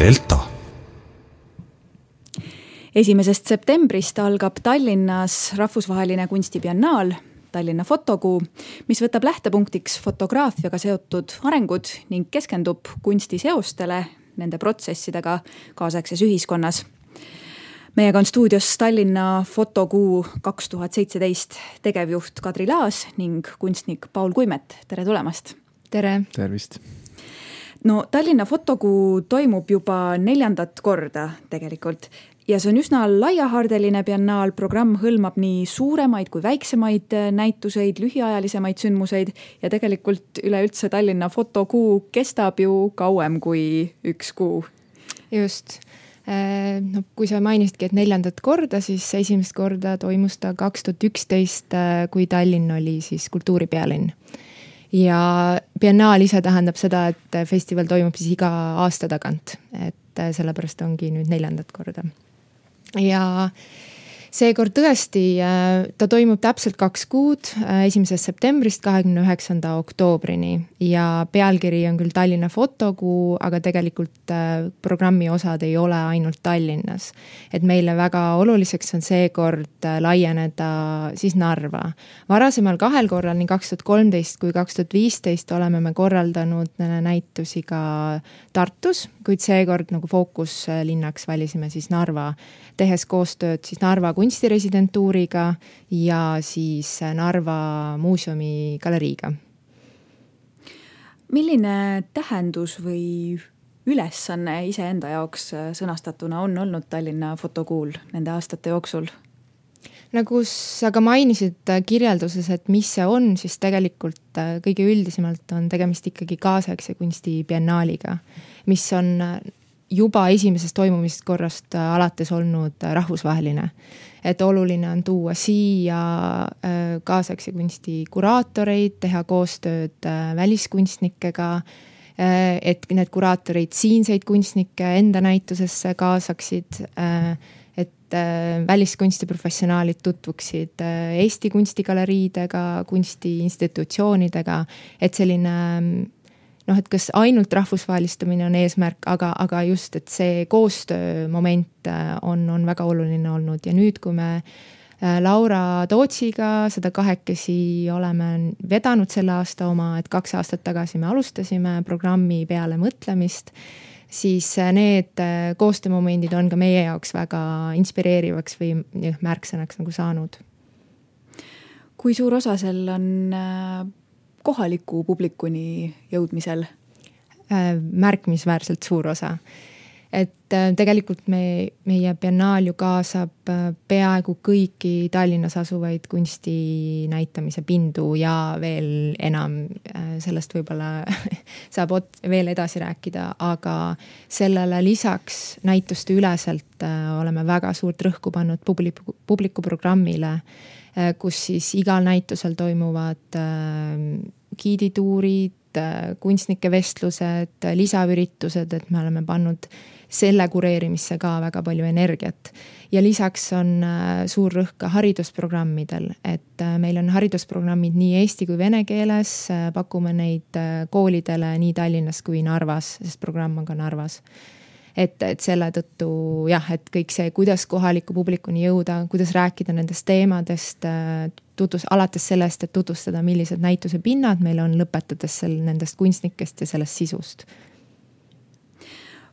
Delta. 1. septembrist algab Tallinnas rahvusvaheline kunstibiennaal Tallinna fotokuu, mis võtab lähtepunktiks fotograafiaga seotud arengud ning keskendub kunstiseostele, nende protsessidega kaasaegses ühiskonnas. Meiega on stuudios Tallinna fotokuu 2017 tegevjuht Kadri Laas ning kunstnik Paul Kuimet. Tere tulemast! Tere! Tervist! No Tallinna fotokuu toimub juba 4. korda tegelikult ja see on üsna laiahaardeline biennaal. Programm hõlmab nii suuremaid kui väiksemaid näituseid, lühiajalisemaid sündmuseid ja tegelikult üleüldse Tallinna fotokuu kestab ju kauem kui 1 kuu. Just. No, kui sa mainisidki, et 4. korda, siis 1. korda toimus ta 2011, kui Tallinn oli siis kultuuripealinn. Ja biennaal ise tähendab seda, et festival toimub siis iga aasta tagant, et sellepärast ongi nüüd 4. korda. Ja seekord tõesti, ta toimub täpselt 2 kuud, 1. septembrist 29. oktoobrini ja pealkiri on küll Tallinna fotokuu, aga tegelikult programmi osad ei ole ainult Tallinnas. Et meile väga oluliseks on seekord laieneda siis Narva. Varasemal 2 korral, nii 2013 kui 2015 oleme me korraldanud näitusi ka Tartus, kuid seekord nagu fookuslinnaks valisime siis Narva, tehes koostööd siis Narva kunstiresidentuuriga ja siis Narva muuseumi galeriiga. Milline tähendus või ülesanne iseenda jaoks sõnastatuna on olnud Tallinna fotokuul nende aastate jooksul? Nagu sa ka mainisid kirjelduses, et mis see on, siis tegelikult kõige üldisemalt on tegemist ikkagi kaasaegse kunsti biennaaliga, mis on juba esimesest toimumist korrast alates olnud rahvusvaheline. Et oluline on tuua siia kaasaegse kunsti kuraatoreid, teha koostööd väliskunstnikega, et need kuraatorid siinseid kunstnikke enda näitusesse kaasaksid, et väliskunstiprofessionaalid tutvuksid Eesti kunstigaleriidega, kunstiinstitutsioonidega, et selline et kas ainult rahvusvahelistamine on eesmärk, aga just, et see koostöömoment on väga oluline olnud. Ja nüüd, kui me Laura Tootsiga seda 2 oleme vedanud selle aasta oma, et 2 aastat tagasi me alustasime programmi peale mõtlemist, siis need koostöömomendid on ka meie jaoks väga inspireerivaks või märksõnaks nagu saanud. Kui suur osa sel on kohaliku publikuni jõudmisel? Märkimisväärselt suur osa. Et tegelikult meie biennaal ju kaasab peaaegu kõiki Tallinnas asuvaid kunsti näitamise pindu ja veel enam, sellest võib-olla saab veel edasi rääkida, aga sellele lisaks näituste üleselt oleme väga suurt rõhku pannud publikuprogrammile, kus siis igal näitusel toimuvad giidituurid, kunstnike vestlused, lisaüritused, et me oleme pannud selle kureerimisse ka väga palju energiat. Ja lisaks on suur rõhk ka haridusprogrammidel, et meil on haridusprogrammid nii eesti kui vene keeles, pakume neid koolidele nii Tallinnas kui Narvas, sest programm on ka Narvas. Et selle tõttu, et kõik see, kuidas kohaliku publikuni jõuda, kuidas rääkida nendest teemadest, alates sellest, et tutvustada, millised näituse pinnad meil on, lõpetades nendest kunstnikest ja sellest sisust.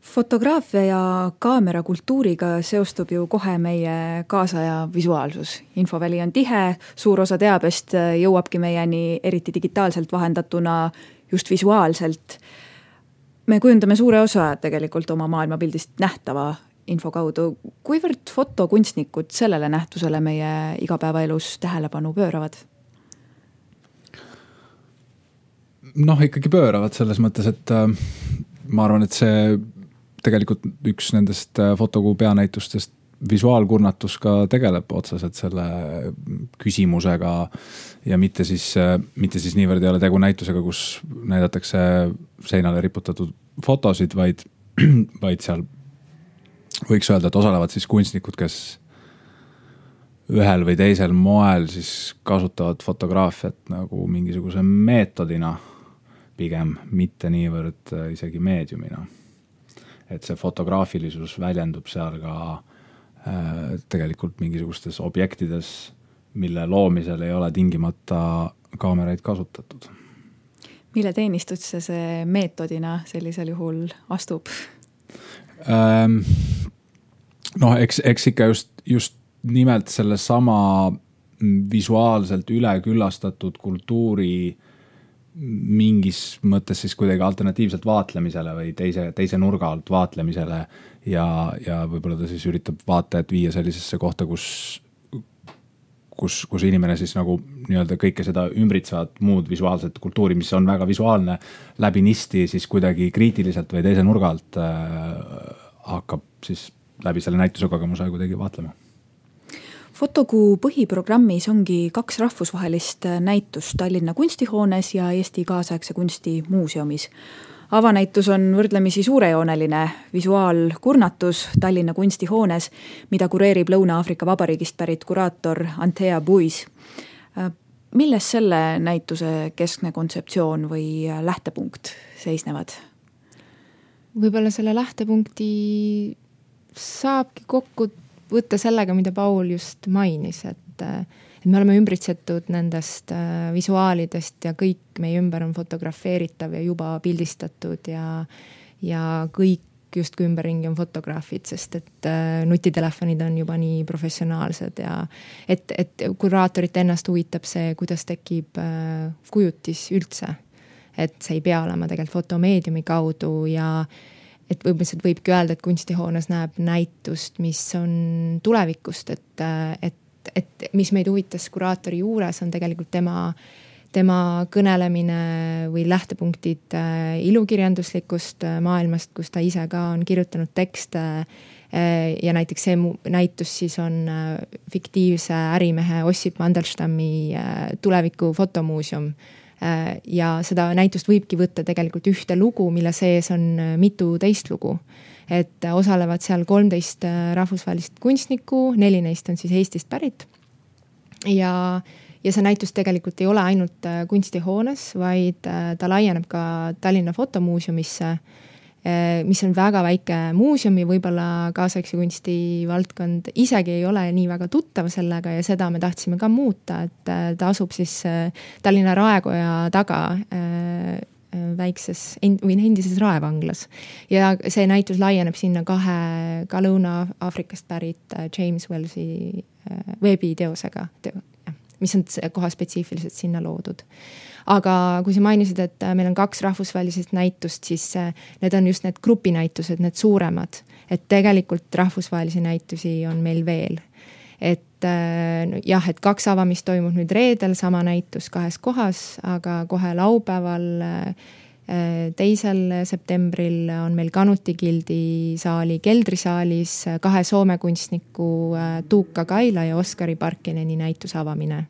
Fotograafia ja kaamerakultuuriga seostub ju kohe meie kaasaja visuaalsus. Infoväli on tihe, suur osa teabest jõuabki meieni eriti digitaalselt vahendatuna just visuaalselt. Me kujundame suure osa tegelikult oma maailmapildist nähtava info kaudu. Kuivõrd fotokunstnikud sellele nähtusele meie igapäevaelus tähelepanu pööravad? Ikkagi pööravad selles mõttes, et ma arvan, et see tegelikult üks nendest fotokuu peanäitustest visuaalkurnatus ka tegeleb otseselt selle küsimusega ja mitte siis niivõrd ei ole tegu näitusega, kus näidatakse seinale riputatud fotosid, vaid seal võiks öelda, et osalevad siis kunstnikud, kes ühel või teisel moel siis kasutavad fotograafiat nagu mingisuguse meetodina pigem, mitte niivõrd isegi meediumina. et see fotograafilisus väljendub seal ka tegelikult mingisugustes objektides, mille loomisel ei ole tingimata kaameraid kasutatud. Mille teenistusse see meetodina sellisel juhul astub? Eks ikka just nimelt selle sama visuaalselt üleküllastatud kultuuri mingis mõttes siis kuidagi alternatiivselt vaatlemisele või teise nurga alt vaatlemisele ja võib-olla ta siis üritab vaatajat viia sellisesse kohta, kus inimene siis nagu nii-öelda kõike seda ümbritsevat muud visuaalset kultuuri, mis on väga visuaalne läbinisti, siis kuidagi kriitiliselt või teise nurga alt hakkab siis läbi selle näituse kogemuse kuidagi vaatlema. Fotokuu põhiprogrammis ongi 2 rahvusvahelist näitust Tallinna kunstihoones ja Eesti kaasaegse kunsti muuseumis. Avanäitus on võrdlemisi suurejooneline visuaalkurnatus Tallinna kunstihoones, mida kureerib Lõuna-Aafrika Vabariigist pärit kuraator Antea Buis. Milles selle näituse keskne kontseptsioon või lähtepunkt seisnevad? Võib-olla selle lähtepunkti saabki kokku võtta sellega, mida Paul just mainis, et me oleme ümbritsetud nendest visuaalidest ja kõik meie ümber on fotografeeritav ja juba pildistatud ja kõik justkui ümberringi on fotograafid, sest et nutitelefonid on juba nii professionaalsed ja et kuraatorit ennast huvitab see, kuidas tekib kujutis üldse. Et see ei pea olema tegelikult fotomeediumi kaudu ja et võibki öelda, et kunstihoones näeb näitust, mis on tulevikust, et mis meid huvitas kuraatori juures on tegelikult tema kõnelemine või lähtepunktid ilukirjanduslikust maailmast, kus ta ise ka on kirjutanud tekste ja näiteks see näitus siis on fiktiivse ärimehe Ossip Mandelstammi tuleviku fotomuuseum. Ja seda näitust võibki võtta tegelikult ühte lugu, mille sees on mitu teist lugu. Et osalevad seal 13 rahvusvahelist kunstnikku, 4 neist on siis Eestist pärit. Ja see näitus tegelikult ei ole ainult kunstihoones, vaid ta laieneb ka Tallinna fotomuuseumisse, mis on väga väike muuseum ja võib-olla kaasaegse kunsti valdkond isegi ei ole nii väga tuttav sellega ja seda me tahtsime ka muuta, et ta asub siis Tallinna Raekoja taga väikses või endises Raevanglas. Ja see näitus laieneb sinna 2 ka Lõuna-Aafrikast pärit James Wellsi veebiteosega, mis on koha spetsiifiliselt sinna loodud. Aga kui sa mainisid, et meil on 2 rahvusvahelisest näitust, siis need on just need grupinäitused, need suuremad. Et tegelikult rahvusvahelisi näitusi on meil veel. Et jah, et 2 avamist toimub nüüd reedel, sama näitus 2 kohas, aga kohe laupäeval 2. septembril on meil Kanuti Gildi saali keldrisaalis 2 Soome kunstniku Tuukka Kaila ja Oskari Parkineni näitus avamine.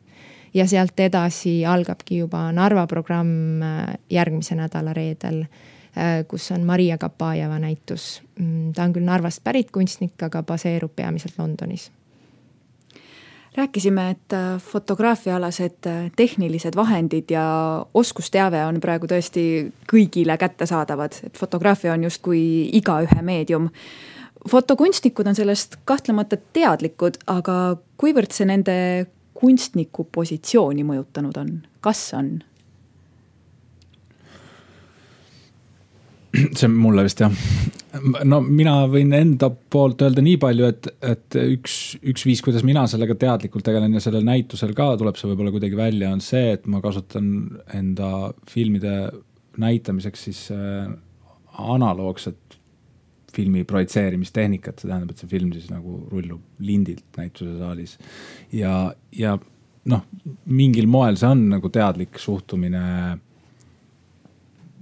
Ja sealt edasi algabki juba Narva programm järgmise nädala reedel, kus on Maria Kapajeva näitus. Ta on küll Narvast pärit kunstnik, aga baseerub peamiselt Londonis. Rääkisime, et fotograafiaalased tehnilised vahendid ja oskusteave on praegu tõesti kõigile kättesaadavad. Et fotograafia on justkui igaühe meedium. Fotokunstnikud on sellest kahtlemata teadlikud, aga kuivõrd see nende kunstniku positsiooni mõjutanud on? Kas on? See mulle vist jah. No mina võin enda poolt öelda nii palju, et üks viis, kuidas mina sellega teadlikult tegelen ja sellel näitusel ka tuleb see võib-olla kuidagi välja, on see, et ma kasutan enda filmide näitamiseks siis analoogset filmi projitseerimistehnikat, see tähendab, et see film siis nagu rullub lindilt näituse saalis ja mingil moel see on nagu teadlik suhtumine,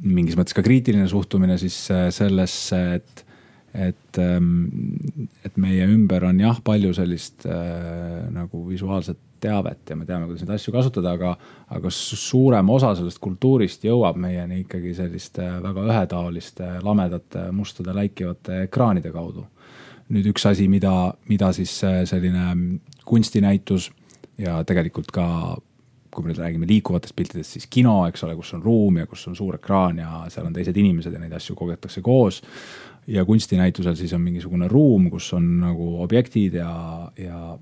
mingis mõttes ka kriitiline suhtumine siis sellesse, et meie ümber on jah palju sellist nagu visuaalset teavet ja me teame, kuidas neid asju kasutada, aga suurem osa sellest kultuurist jõuab meieni ikkagi selliste väga ühetaoliste, lamedate, mustade, läikivate ekraanide kaudu. Nüüd üks asi, mida siis selline kunstinäitus ja tegelikult ka kui me nüüd räägime liikuvatest piltidest, siis kino, eks ole, kus on ruum ja kus on suur ekraan ja seal on teised inimesed ja neid asju kogetakse koos. Ja kunstinäitusel siis on mingisugune ruum, kus on nagu objektid ja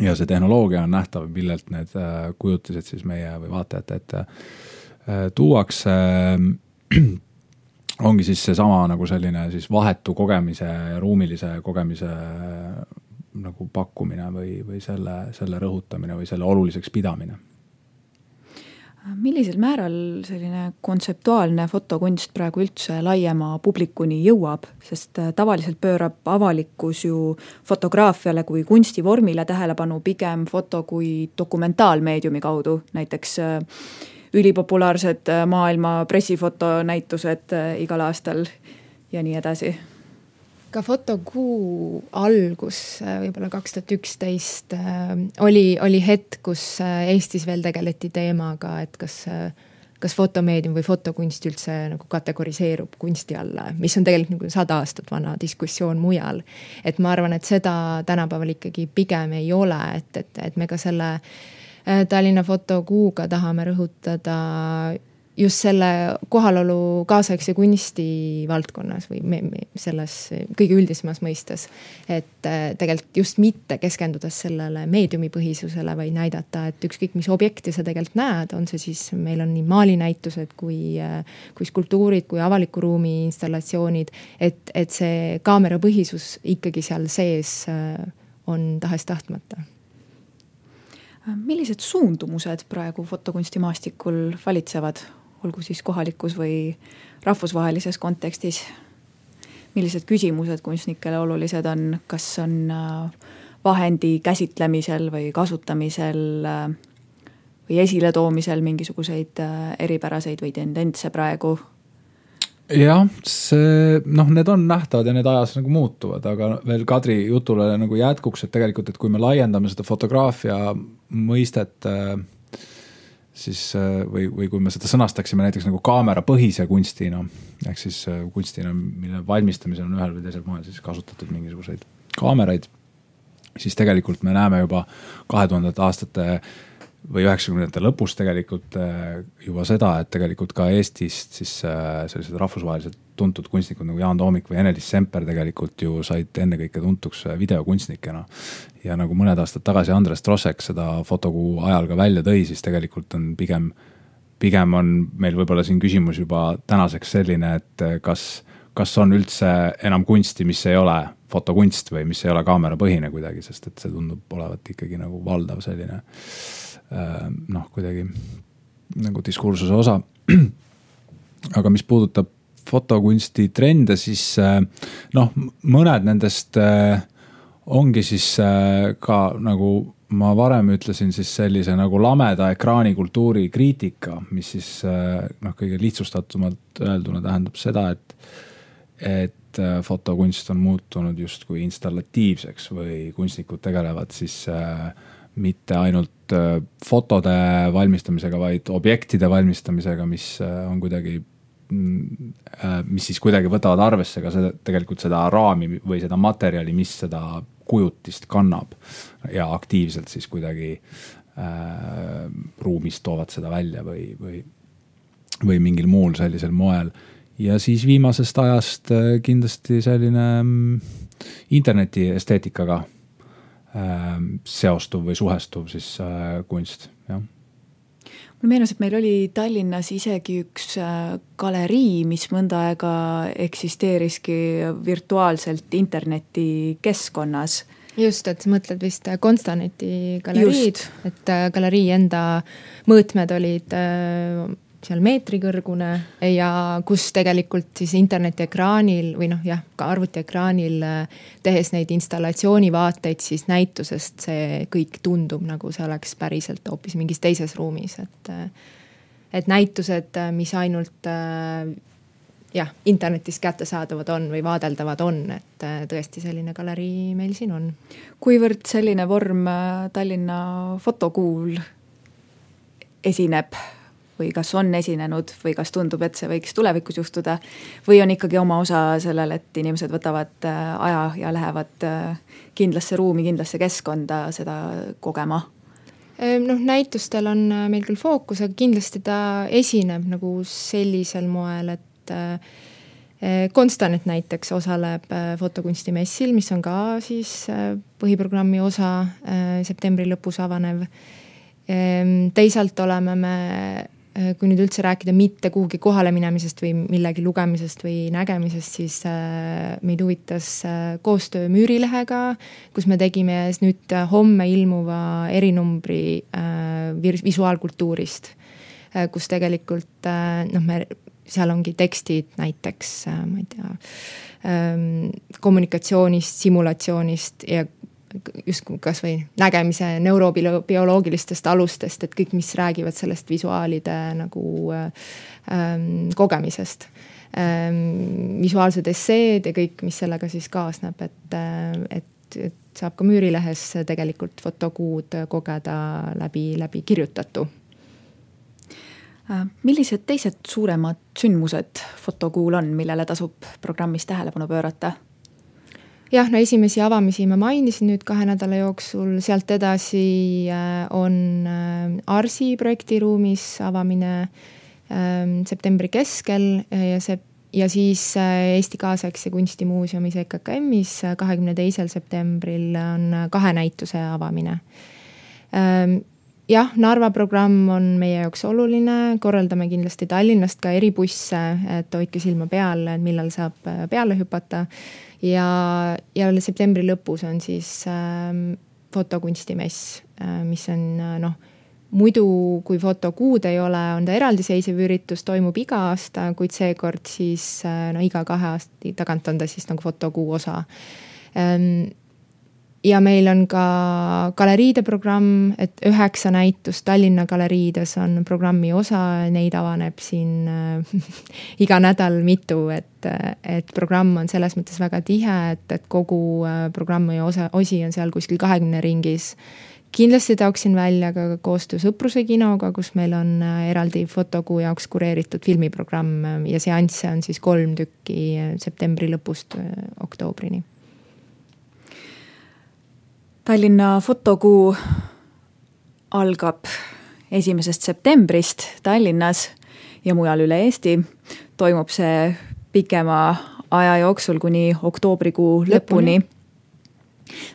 see tehnoloogia on nähtav, millelt need kujutised siis meie või vaatajate ette tuuakse. Ongi siis see sama nagu selline siis vahetu kogemise ja ruumilise kogemise nagu pakkumine või selle rõhutamine või selle oluliseks pidamine. Millisel määral selline kontseptuaalne fotokunst praegu üldse laiema publikuni jõuab, sest tavaliselt pöörab avalikkus ju fotograafiale kui kunstivormile tähelepanu pigem foto kui dokumentaalmeediumi kaudu, näiteks ülipopulaarsed maailma pressifotonäitused igal aastal ja nii edasi. Ka fotokuu algus, võib-olla 2011 oli hetk, kus Eestis veel tegeleti teemaga, et kas fotomeedium või fotokunst üldse nagu kategoriseerub kunsti alla, mis on tegelikult nagu 100 aastat vana diskussioon mujal. Et ma arvan, et seda tänapäeval ikkagi pigem ei ole, et me ka selle Tallinna fotokuuga tahame rõhutada just selle kohalolu kaasaegse kunsti valdkonnas või selles kõige üldisemas mõistes, et tegelikult just mitte keskendudes sellele meediumipõhisusele, vaid näidata, et ükskõik mis objekti sa tegelikult näed, on see siis, meil on nii maalinäitused kui skulptuurid, kui avaliku ruumi installatsioonid, et see kaamerapõhisus ikkagi seal sees on tahes tahtmata. Millised suundumused praegu fotokunstimaastikul valitsevad, olgu siis kohalikus või rahvusvahelises kontekstis? Millised küsimused kunstnikele olulised on, kas on vahendi käsitlemisel või kasutamisel või esiletoomisel mingisuguseid eripäraseid või tendentse praegu? Jah, need on nähtavad ja need ajas nagu muutuvad, aga veel Kadri jutule nagu jätkuks, et tegelikult, et kui me laiendame seda fotograafia mõistet, siis, või kui me seda sõnastaksime näiteks nagu kaamerapõhise kunstina, ehk siis kunstina, mille valmistamisel on ühel või teisel moel siis kasutatud mingisuguseid kaameraid, siis tegelikult me näeme juba 2000 aastate või 90. lõpus tegelikult juba seda, et tegelikult ka Eestist siis sellised rahvusvaheliselt tuntud kunstnikud nagu Jaan Toomik või Ene-Liis Semper tegelikult ju said ennekõike tuntuks videokunstnikena. Ja nagu mõned aastad tagasi Andres Trossek seda fotokuu ajal ka välja tõi, siis tegelikult on pigem on meil võib-olla siin küsimus juba tänaseks selline, et kas on üldse enam kunsti, mis ei ole fotokunst või mis ei ole kaamerapõhine kuidagi, sest et see tundub olevat ikkagi nagu valdav selline kuidagi nagu diskursuse osa. Aga mis puudutab fotokunsti trende, siis mõned nendest ongi siis ka nagu ma varem ütlesin siis sellise nagu lameda ekraanikultuuri kriitika, mis siis kõige lihtsustatumalt öelduna tähendab seda, et fotokunst on muutunud justkui installatiivseks või kunstnikud tegelevad siis mitte ainult fotode valmistamisega, vaid objektide valmistamisega, mis on kuidagi, mis siis kuidagi võtavad arvesse ka tegelikult seda raami või seda materjali, mis seda kujutist kannab ja aktiivselt siis kuidagi ruumist toovad seda välja või mingil muul sellisel moel. Ja siis viimasest ajast kindlasti selline interneti esteetikaga seostuv või suhestuv siis kunst, jah. Mulle meenus, et meil oli Tallinnas isegi üks galerii, mis mõnda aega eksisteeriski virtuaalselt interneti keskkonnas. Just, et mõtled vist Konstaneti galeriid, et galerii enda mõõtmed olid seal meetri kõrgune ja kus tegelikult siis internetiekraanil või ka arvutiekraanil tehes neid installatsioonivaateid siis näitusest see kõik tundub nagu see oleks päriselt hoopis mingis teises ruumis, et näitused, mis ainult internetis kättesaadavad on või vaadeldavad on, et tõesti selline galerii meil siin on. Kuivõrd selline vorm Tallinna fotokuul esineb või kas on esinenud või kas tundub, et see võiks tulevikus juhtuda või on ikkagi oma osa sellel, et inimesed võtavad aja ja lähevad kindlasse ruumi, kindlasse keskkonda seda kogema? Näitustel on meil küll fookus, aga kindlasti ta esineb nagu sellisel moel, et Konstanit näiteks osaleb fotokunstimessil, mis on ka siis põhiprogrammi osa septembri lõpus avanev. Teisalt oleme me, kui nüüd üldse rääkida mitte kuhugi kohale minemisest või millegi lugemisest või nägemisest, siis meid huvitas koostöö Müürilehega, kus me tegime nüüd homme ilmuva erinumbri visuaalkultuurist, kus tegelikult seal ongi tekstid näiteks, ma ei tea, kommunikatsioonist, simulatsioonist ja just kas või nägemise neurobioloogilistest alustest, et kõik, mis räägivad sellest visuaalide nagu kogemisest. Visuaalsed esseed ja kõik, mis sellega siis kaasneb, et saab ka Müürilehes tegelikult fotokuud kogeda läbi kirjutatu. Millised teised suuremad sündmused fotokuul on, millele tasub programmis tähelepanu pöörata? Jah, esimesi avamisi ma mainisin nüüd 2 nädala jooksul, sealt edasi on Arsi projektiruumis avamine septembri keskel ja siis Eesti Kaasaegse Kunstimuuseumis EKKM-is 22. septembril on 2 näituse avamine. Jah, Narva programm on meie jaoks oluline, korraldame kindlasti Tallinnast ka eribusse, et hoidke silma peal, millal saab peale hüpata. Ja septembri lõpus on siis fotokunstimess, mis on muidu, kui fotokuud ei ole, on ta eraldiseisev üritus, toimub iga aasta, kuid seekord siis iga 2 aasta tagant on ta siis nagu fotokuu osa. Ja meil on ka galeriide programm, et 9 näitust Tallinna galeriides on programmi osa, neid avaneb siin iga nädal mitu, et programm on selles mõttes väga tihe, et kogu programmi osi on seal kuskil 20 ringis. Kindlasti taoksin välja ka koostöö Sõpruse kinoga, kus meil on eraldi fotokuu jaoks kureeritud filmiprogramm ja seansse on siis 3 tükki septembri lõpust oktoobrini. Tallinna fotokuu algab 1. septembrist Tallinnas ja mujal üle Eesti. Toimub see pikema aja jooksul kuni oktoobrikuu lõpuni.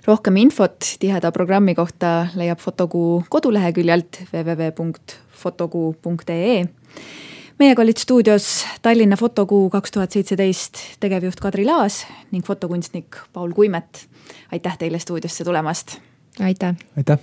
Rohkem infot tiheda programmi kohta leiab fotokuu koduleheküljelt www.fotokuu.ee. Meiega olid stuudios Tallinna fotokuu 2017 tegevjuht Kadri Laas ning fotokunstnik Paul Kuimet. Aitäh teile stuudiosse tulemast! Aitäh! Aitäh!